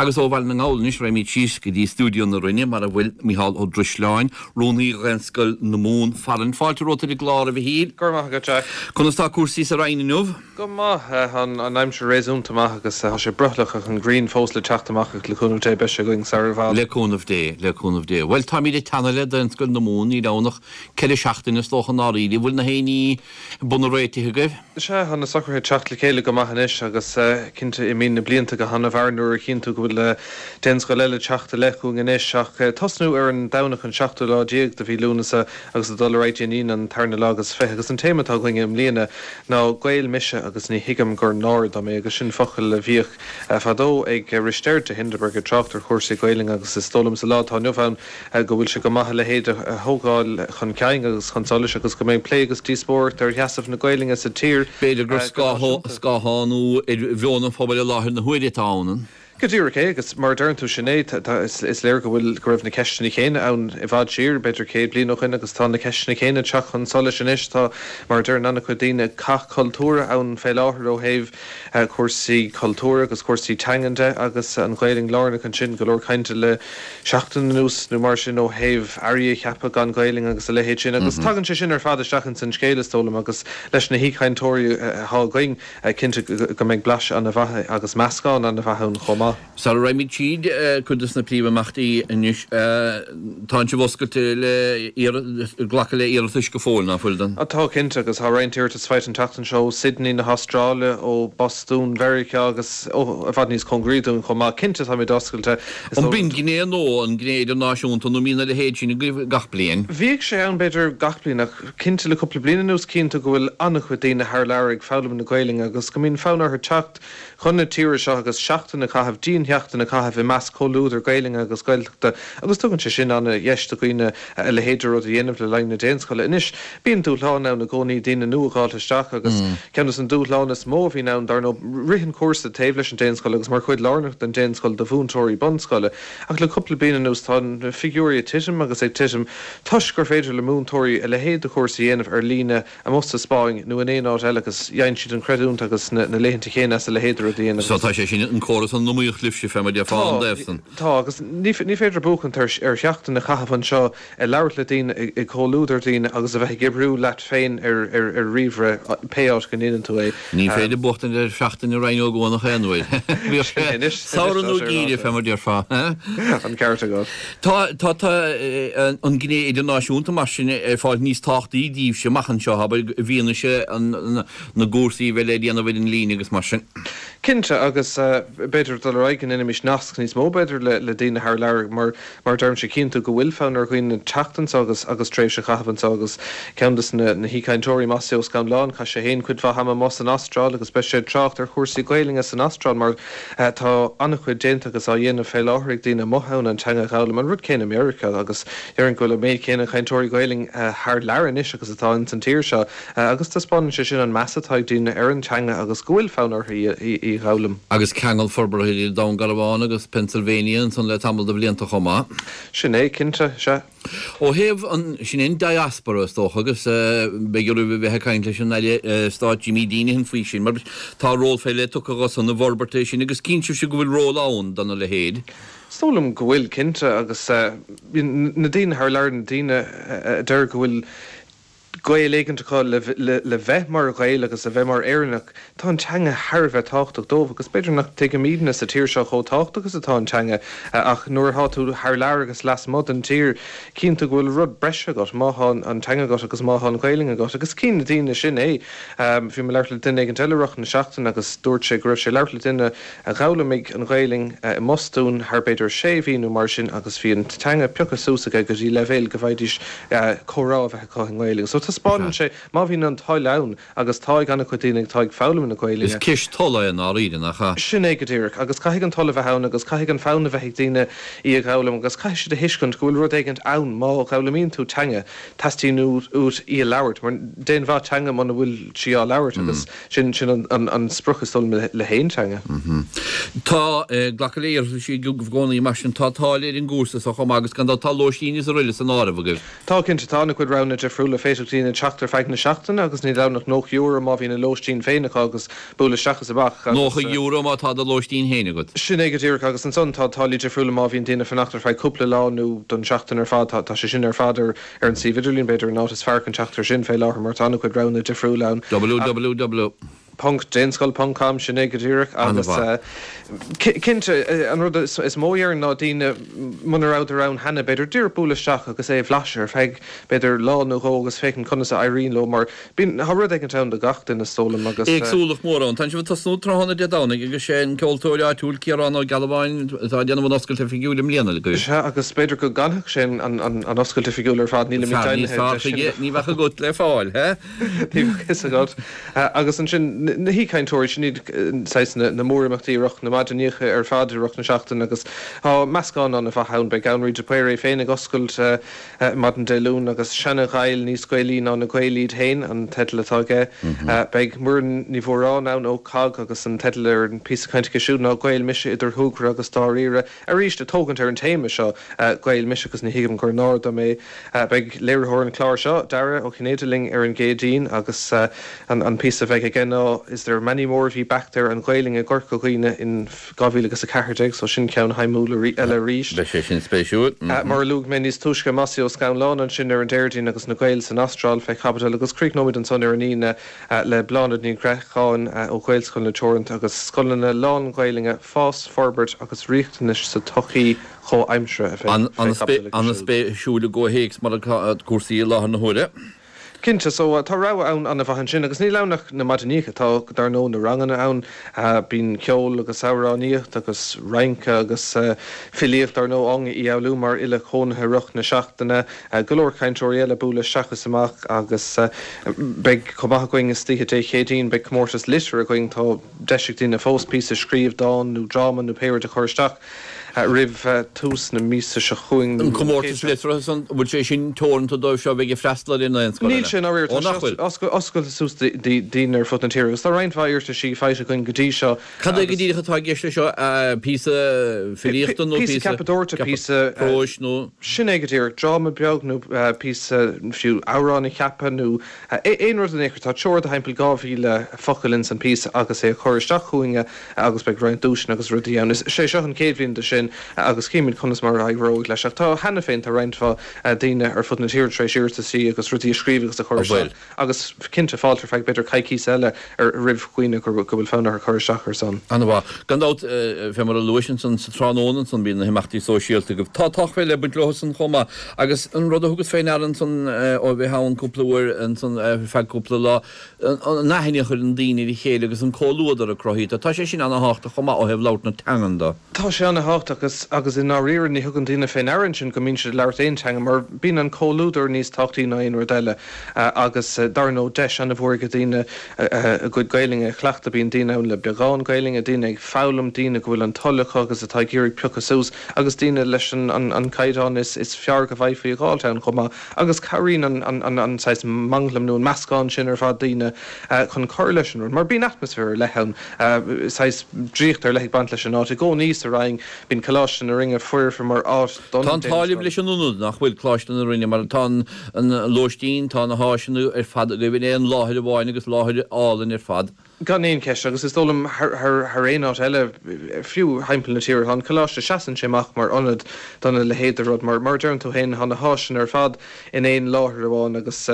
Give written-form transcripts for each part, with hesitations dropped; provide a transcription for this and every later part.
Agus ó Bhaile na nGall anois raghaimid síos go dtí stiúideo na Rinne mar a bhfuil Micheál Ó Drisleáin, Rúnaí Dhaonscoil na Mumhan, Farann. Fáilte romhat ar an gclár, a Mhichíl. Go raibh maith agat, Jack. Conas tá cúrsaí sa Rinn inniu? Go maith. Tá an aimsir réasúnta maith agus tá sé brothallach ach an ghrian fós le teacht amach ach le cúnamh Dé beidh sé againn sar i bhfad. Le cúnamh Dé, le cúnamh Dé. Bhuel, táimid ag teannadh le Daonscoil na Mumhan, níl ann ach 4 seachtaine is dócha i ndáiríre. Bhfuil na haon ní bunaidh réitithe agaibh? Sea, tá na socruithe ag teacht le chéile go maith anois agus cinnte imíonn na blianta go han-mhear nuair a chíonn tú go bhfuil daonscoil eile ag teacht i leith chugainn anois. Ach tosnú ar an Domhnach an seachtú lá déag de mhí Lúnasa agus ag dul ar aghaidh dtí an Aoine an tarna lá agus 20 agus an téama atá againn i mbliana ná Gael mise agus ní thuigim gur náire dom é agus sin focal a bhíodh fadó ag Risteard de Hindeberg ag trácht ar chúrsaí Gaelainne agus is dóigh liom sa lá atá inniu ann go bhfuil sé go maith a leithéid a thógáil chun cinn agus chun solais agus go mbeidh plé agus díospóireacht ar sheasamh na Gaelainne sa tír B'fhéidir gur go náisiúnta. scáthánú ar mheon an phobail i láthair na huaire atá ann. Go díreach é, agus mar a deireann tú, sin é. Is léir go bhfuil, go raibh na ceisteanna céanna ann i bhfad siar, b'fhéidir 100 bliain ó shoin, agus tá na ceisteanna céanna ag teacht chun solais anois. Tá, mar a deireann an-chuid daoine, cath cultúrtha ann fé láthair ó thaobh cúrsaí cultúir agus cúrsaí teangan de, agus an Ghaelainn lárnach ansin. Go leor cainte le seachtain anuas nó mar sin ó thaobh airí a cheapadh gan Ghaelainn agus a leithéid sin agus tagann sé sin ar fad isteach ins an scéal is dóigh liom agus leis na haoichainteoirí atá againn cinnte go mbeidh blaiseadh ana-mhaith agus meascán ana-mhaith ann chomh maith. Sara raghaimid tríd cuid de na príomhimeachtaí anois, tánn sibh oscailte le glacadh le iarratais go fóill, ná fuil, don? Tá cinnte agus tá roinnt iarratas faighte an tseachtain seo ó Sydney na hAstráile, ó Bostún Mheiriceá agus ó i bhfad níos cóngaraí dúinn chomh maith. Cinnte táimid oscailte. An b'in gné nua, an gné idirnáisiúnta, nó mbíonn a leithéid sin agaibh gach bliain? Bhíodh sé ann, b'fhéidir, gach bliain, ach cinnte le cúpla bliain anuas cíonn tú go bhfuil an-chuid daoine thar lear ag foghlaim na Gaelainne agus go mbíonn fonn orthu teacht chun na tíre seo agus seachtain a chaitheamh, diansheachtain a chaitheamh i measc comhluadar Gaelainne agus Gaeltachta agus tugann sé sin an-dheis do dhaoine a leithéid de rud a dhéanamh le linn na daonscoile. Anois, bíonn dúshláin ann i gcónaí, daoine nua a dh'fháilt isteach agus ceann de na dúshláin is mó a bhíonn ann, dar ndóigh, rith an chúrsa taobh leis an daonscoil agus mar chuid lárnach den daonscoil do mhúinteoirí bunscoile. Ach le cúpla bliain anuas tá na figiúirí ag titim agus ag titim toisc gur féidir le múinteoirí a leithéid de chúrsa a dhéanamh ar líne amuigh sa Spáinn nó in aon áit eile agus gheibheann siad an chreidiúint agus na laethanta céanna as a leithéid de rud a dhéanamh. So tá sé sin an córas an iomaíocht libhse fé mar déarfá ón dtaobh san. Tá, agus ní féidir buachaint ar sheachtain a chaitheamh anseo ag labhairt le daoine, i gcomhluadar daoine agus a bheith ag oibriú leat féin ar ríomhaire, pé áit go ndéanann tú é. Ní féidir buachtaint ar sheachtain i Rinn Ó gCuanach aon uair. Bíodh sé samhradh nó geimhreadh, fé mar déarfá. An ceart agat. Tá, tá, tá an gné idirnáisiúnta mar sin ag fáil níos tábhachtaí daoibhse amach anseo, abair, i bhfianaise na gcúrsaí a bheith le déanamh ar an líne agus mar sin. Cinnte, agus b'fhéidir dul ar aghaidh go ndéanfaimis nasc níos mó b'fhéidir le daoine thar lear mar mar a deirimse cíonn tú go bhfuil fonn ar dhaoine teacht anseo agus agus tréimhse a chaitheamh anseo agus ceann de na na haoichainteoirí Mossy Ó Scanláin chaith sé féin cuid mhaith ama amuigh san Astráil agus beidh sé ag trácht ar chúrsaí Gaelainne san Astráil mar tá an-chuid déanta agus á dhéanamh fé láthair ag daoine amuigh ann an teanga a dh'fhoghlaim an rud céanna i Meiriceá agus déarfainn go bhfuil an méid céanna cainteoirí Gaelainne thar lear anois agus atá ins an tír seo. Agus taispeánann sé sin an meas atá ag daoine ar an teanga agus go bhfuil fonn orthu í a dh'fhoghlaim. Agus ceangal forbartha idir Dún Garbhán agus Pennsylvania ansan le tamall de bhlianta chomh maith. Sin é, cinnte, sea. Ó thaobh an, sin é an diaspora is dócha agus beidh oraibh a bheith ag caint leis an Aire Stáit Jimmy Deenihan faoi sin mar tá ról fé leith tugtha dho san i bhforbairt é sin agus cíonn sibhse go bhfuil ról ann dona leithéid. Is dóigh liom go bhfuil, cinnte, agus na daoine thar lear, na daoine a deir go bhfuil gaol éigint acu le bheith mar Ghael agus a bheith mar Éireannach, tá an teanga thar a bheith tábhachtach dóibh agus b'fhéidir nach dtuigimidne sa tír seo chomh tábhachtach is atá an teanga ach nuair atá tú thar lear agus lasmuigh den tír cíonn tú go bhfuil rud breise agat má thá an teanga agat agus má thá an Ghaelainn agat agus cíonn na daoine sin é. Bhí mé ag labhairt le duine éigint eile i rith na seachtaine agus dúirt sé go raibh sé ag labhairt le duine a d'fhoghlaimigh an Ghaelainn i mBostún thar b'fhéidir sé mhí nó mar sin agus bhí an teanga pioctha suas aige go dtí leibhéal go bhfaighidís comhrá a bheith acu i nGaelainn. So taispeánann sé má bhíonn an toil ann, agus tá ag an-chuid daoine atá ag foghlaim na Gaelainne. Is ceist tola é i ndáiríre, nach ea? Sin é go díreach. Agus caithfidh an toil a bheith ann agus caithfidh an fonn a bheith ag daoine í a dh'fhoghlaim agus caithfidh siad a thuiscint go bhfuil rud éigint ann má dh'fhoghlaimíonn tú teanga, teastaíonn uait í a labhairt mar d'aon mhaith teanga muna bhfuil sí á labhairt agus Sin an sprioc is dóigh liom le haon teanga. Tá glacadh le iarratais i gcónaí mar sin tá táille ar an gcúrsa so chomh maith agus gan dabht tá lóistín is araile san áireamh agaibh. Tá cinnte, tá an-chuid roghanna difriúla. Féadfaidh. daoine teacht ar feadh na seachtaine agus níl ann ach €90 má bhíonn a lóistín féin acu agus bualadh isteach is amach agus. €90 má tá do lóistín féin agat. Sin é go díreach agus ansan tá táillí difriúla má bhíonn daoine ag fanacht ar feadh cúpla lá nó don seachtain ar fad. Tá sé sin ar fad ar an suíomh idirlín, b'fhéidir an áit is fearr chun teacht air sin fé láthair mar tá an-chuid roghanna difriúla ann. www. ponc daonscoil ponc com, sin é go díreach agus cinnte an rud is mó a déarfainn ná daoine muna rabhadar ann cheana b'fhéidir díreach bualadh isteach agus é a bhlaiseadh ar feadh b'fhéidir lá nó dhó agus féachaint conas a éiríonn leo mar bíonn tá rud éigint ann do gach duine is dóigh liom agus. Éagsúlacht mhór ann. Tá sibh ag tosnú tráthnóna Dé Domhnaigh agus sé an ceoltóir áitiúil Ciarán Ó Gealbháin atá ag déanamh an oscailt oifigiúil i mbliana agaibh. Sea agus b'fhéidir go gcanfadh sé an oscailt oifigiúil ar fad nílimid Fear níos deimhnithe fearr de sin. chuige ní bheadh agat le fáil, he? Ní bheadh fhios agat. Agus ansin, na haoichainteoirí, sin iad saghas na mórimeachtaí i rith na maidineacha ar fad i rith na seachtaine agus tá meascán an-mhaith ann. Beidh Anraí de Paor é féin ag oscailt maidin Dé Luain agus Seana-Ghaill níos Gaelaí ná na Gaeil iad féin an teideal atá aige. Beidh Muireann Ní Mhóráin ann ó COGG agus an teideal ar an píosa cainte aici siúd ná Gael Mise idir Shúgradh agus Dáiríre. Arís, ag tógaint ar an téama seo, Gael mise agus ní thuigim gur náire dom é. Beidh léiritheoir an chláir seo, Dara Ó Cinnéide linn ar an gCéadaoin agus an píosa a bheidh aige ná Is there many more of ye back there, an Ghaelainn i gCorca Dhuibhne in 2014, so sin ceann shuimiúil eile arís. Beidh sé sin spéisiúil. Mar a luaigh mé níos túisce, Mossie Ó Scanláin ansin ar an Déardaoin agus na Gaeil san Astráil fé chaibidil agus críochnóimid ansan ar an Aoine le Bláthnaid Ní Ghréacháin ó Ghaelscoileanna Teoranta agus scoileanna lán-Ghaelainne, fás, forbairt agus riachtanais sa tsochaí chomhaimseartha a bheidh fé chaibidil acu siúd. An-spéisiúil i gcomhthéacs mar atá cúrsaí i láthair na huaire. Cinnte, so tá rogha ann an-mhaith ansin agus níl ann ach na maidineacha, tá dar ndóigh na ranganna ann, bíonn ceol agus amhránaíocht agus rince agus filíocht dar ndóigh á ndíshealbhú mar fhile cónaithe i rith na seachtaine. Go leor cainteoirí eile ag bualadh isteach is amach agus beidh chomh maith againn istoíche Dé Céadaoin, beidh comórtas liteartha againn, tá deis ag daoine fós píosa a scríobh, dán nó dráma nó pé rud a chur isteach roimh tús na míosa seo chugainn nó An comórtas liteartha san, an bhfuil sé sin teoranta dóibh seo a bheidh ag freastal ar an Daonscoil? Níl sé, ndáiríre. Tá sé oscailte suas do dhaoine ar fud na tíre agus tá roinnt mhaith iarrataisí faighte againn go dtí seo. Cad é go díreach atá i gceist leis seo? Píosa filíochta nó píosa ceapadóireachta, píosa próis nó. Sin é go díreach. Dráma beag nó píosa, fiú amhrán a cheapadh nó aon rud in aon chor. Tá teora de thimpeall 2,000 focal ins an bpíosa agus é a chur isteach chugainne agus beidh roinnt duaiseanna agus rudaí ann. Is é seo an chéad bhliain de sin agus chímid conas mar a éireoidh leis. Ach tá cheana féin, tá roinnt mhaith daoine ar fud na tíre tar éis iarrataisí agus rudaí a scríobh agus a chur isteach. Agus cinnte, fáilte ar feadh b'fhéidir coicíos eile ar roimh dhaoine go bhfuil fonn orthu cur isteach ar son. An-mhaith. Gan dabht, fé mar a luais ansan sa tráthnóna ansan, bíonn na himeachtaí sóisialta agaibh. Tá tábhacht fé leith ag baint leo san chomh maith. Agus an rud a thugas fé ndeara ansan ó bheith ann cúpla uair ansan ar feadh cúpla lá, an aithne a chuireann daoine ar a chéile agus an comhluadar a cruthaítear, tá sé sin ana-thábhachtach chomh maith ó thaobh labhairt na teangan de. Tá sé ana-thábhachtach agus agus i ndáiríre ní thugann daoine fé ndeara ansin go mbíonn siad ag labhairt aon teanga mar bíonn an comhluadar níos tábhachtaí ná aon rud eile agus dar ndóigh deis ana-mhór ag daoine a gcuid Gaelainne a chleachtadh. Bíonn daoine ann le beagán Gaelainne, daoine ag foghlaim, daoine go bhfuil an toil acu agus atá ag iarraidh piocadh suas agus daoine leis an caighdeán is fearr go bhfaighfí a dh'fháilt ann chomh maith agus cabhraíonn an saghas manglam nó an meascán sin ar fad daoine chun cur leis an rud mar bíonn atmaisféar ar leith ann, saghas draíocht ar leith ag baint leis an áit. I gcónaí sa Rinn bíonn Coláiste na Rinne foirfe mar áit don Tá an t-ádh libh leis an ionad, nach bhfuil, Coláiste na Rinne, mar tá an lóistín, tá na háiseanna ar fad agaibh in aon láthair amháin agus láthair álainn ar fad. Gan aon cheist, agus is dóigh liom thar aon áit eile, fiú thimpeall na tíre, tá an Coláiste, seasann sé amach mar ionad dona leithéid de rud, mar mar a deireann tú féin, tá na háiseanna ar fad in aon láthair amháin agus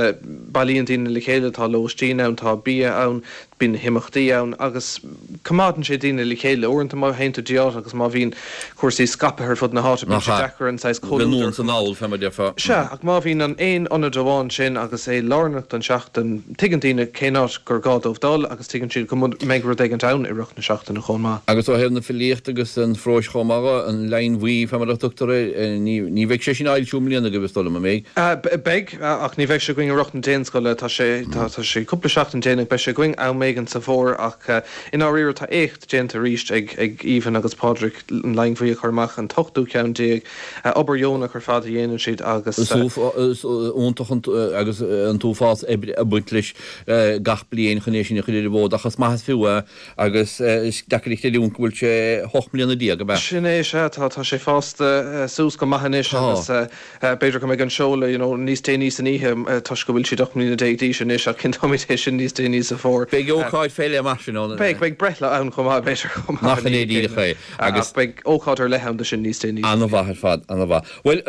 bailíonn daoine le chéile, tá lóistín ann, tá bia ann, bíonn na himeachtaí ann agus coimeádann sé daoine le chéile. Uaireanta má théann tú dtí áit agus má bhíonn cúrsaí scaipthe ar fud na háite, bíonn sé deacair an saghas comhluadar. Anonn is anall, fé mar a déarfá. Sea, ach má bhíonn an aon ionad amháin sin agus é lárnach don seachtain, tuigeann daoine cén áit gur gá dóibh dul agus tuigeann siad go mbeidh rud éigint ann i rith na seachtaine chomh maith. Agus ó thaobh na filíochta agus an phróis chomh maith, an Leidhin Bhuí, fé mar a tugtar air, ní bheidh sé sin á fhoilsiú i mbliana agaibh, is dóigh liom, an mbeidh? Beidh. Ach ní bheidh sé againn i rith na Daonscoile. Tá sé, tá sé cúpla seachtain déanach. Beidh sé againn am éigin sa bhfómhar ach i ndáiríre tá éacht déanta arís ag ag Aoibhinn agus Pádraig an Leidhin Bhuí a chur amach, an t-ochtú ceann déag. Obair dheonach ar fad a dhéanann siad agus. Is iontach an agus an t-uafás oibre ag baint leis gach bliain chun é sin a chur ar an bhfód. ach is maith is fiú é agus is deacair a chreidiúint go bhfuil sé 18 mbliana, ab ea? Sin é, sea, tá, tá sé fásta suas go maith anois agus b'fhéidir go mbeidh an seoladh, you know, níos déanaí san oíche toisc go bhfuil siad 18 mbliana d'aois anois ach cinnteoimid é sin níos déanaí sa bhfómhar. Beidh ócáid fé leith mar sin ann. Beidh, beidh breithlá ann chomh maith, b'fhéidir, chomh maith. Nach in é díreach é. Agus. Ach beidh ócáid ar leith ann do sin níos déanaí. Ana-mhaith ar fad, ana-mhaith. Bhuel,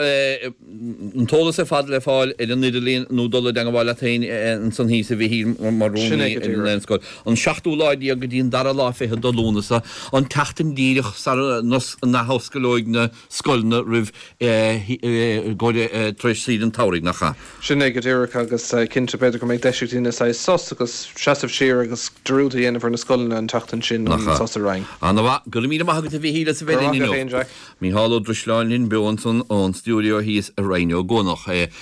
an t-eolas ar fad le fáil ar an idirlíon nó dul i dteangmháil leat féin ansan thíos a Mhichíl mar rúnaí ar an Daonscoil. An seachtú lá déag go dtí an dara lá fichead de Lúnasa, an tseachtain díreach sara n-athosclóidh na scoileanna roimh tar éis saoire an tsamhraidh, nach ea? Sin é go díreach agus cinnte b'fhéidir go mbeidh deis ag daoine saghas sos agus seasamh siar agus dearúd a dhéanamh ar na scoileanna an tseachtain sin an sos a Ryan. Ana-mhaith. Go raibh míle maith agat a Mhichíl as a bheith linn inniu. Micheál Ó Drisleáin linn beo ansan ón stiúideo thíos i Rinn Ó gCuanach.